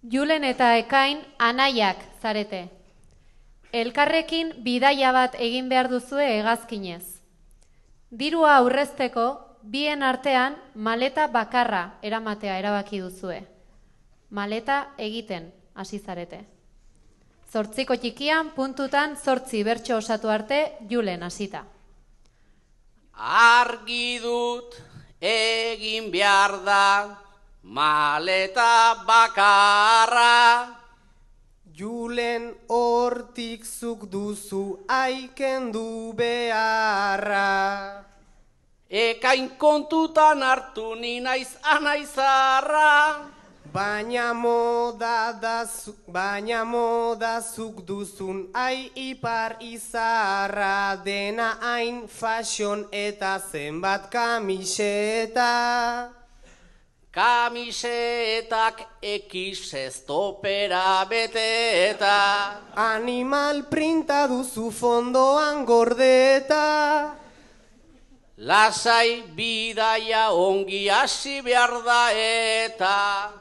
Julen eta Ekain anaiak zarete. Elkarrekin bidaia bat egin behar duzue hegazkinez. Dirua aurrezteko bien artean maleta bakarra eramatea erabaki duzue. Maleta egiten hasi zarete. 8 txikian puntutan 8 bertso osatu arte Julen hasita. Argi dut egin behar da maleta bakarra. Julen hortik zuk duzu aikendu beharra. Ekain kontutan hartu ni naiz anaizarra. Baina moda zuk duzun ai ipar izarra. Dena hain fashion eta zenbat kamiseta. Kamisetak ekiz estopera beteta. Animal printa duzu fondoan gordeta. Lasai bidaia ongi hasi behar da eta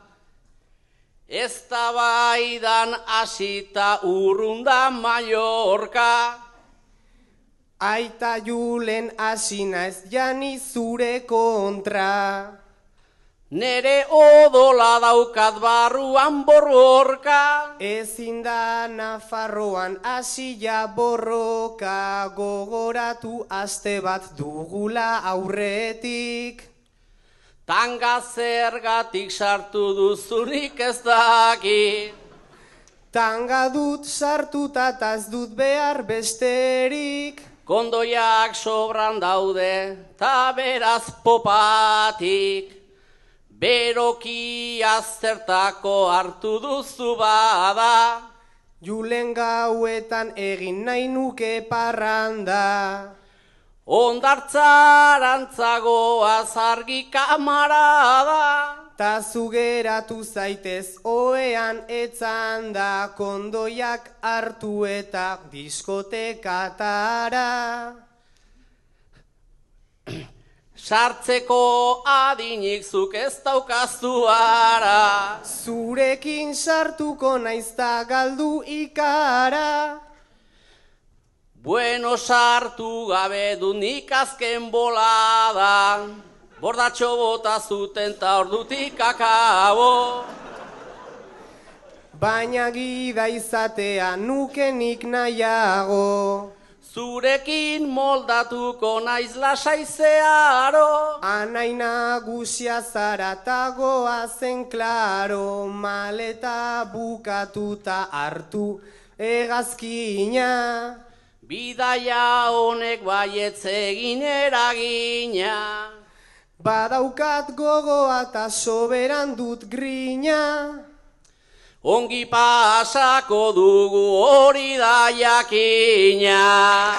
eztabaidan hasita urrunda Mallorca. Aita Julen hasi naiz jani zure kontra. Nere odola daukat barruan borroka. Ezin da Nafarroan hasila borroka. Gogoratu aste bat dugula aurretik. Tanga zergatik sartu duzunik ez daki. Tanga dut sartuta eta ez dut behar besterik. Kondoiak sobran daude ta beraz popatik. Beroki aztertako hartu duzu bada. Julen gauetan egin nahi nuke parranda. Ondartzarantzagoaz argi kamarada. Ta zugeratu zaitez oean etzanda. Kondoiak hartu eta diskotekatara. Sartzeko adinik zuk ez daukazu ara. Zurekin sartuko naizta galdu ikara. Bueno, sartu gabe du nik azken bolada. Bordatxo bota zuten ta ordutik akabo. Baina gida izatea nukenik nahiago. Zurekin moldatuko naiz lasai zeharo. Anai nagusia zara ta goazen klaro. Maleta bukatuta hartu hegazkina. Bidaia honek baietz egin eragina. Badaukat gogoa ta soberan dut grina. Ongi pasako dugu hori da jakina.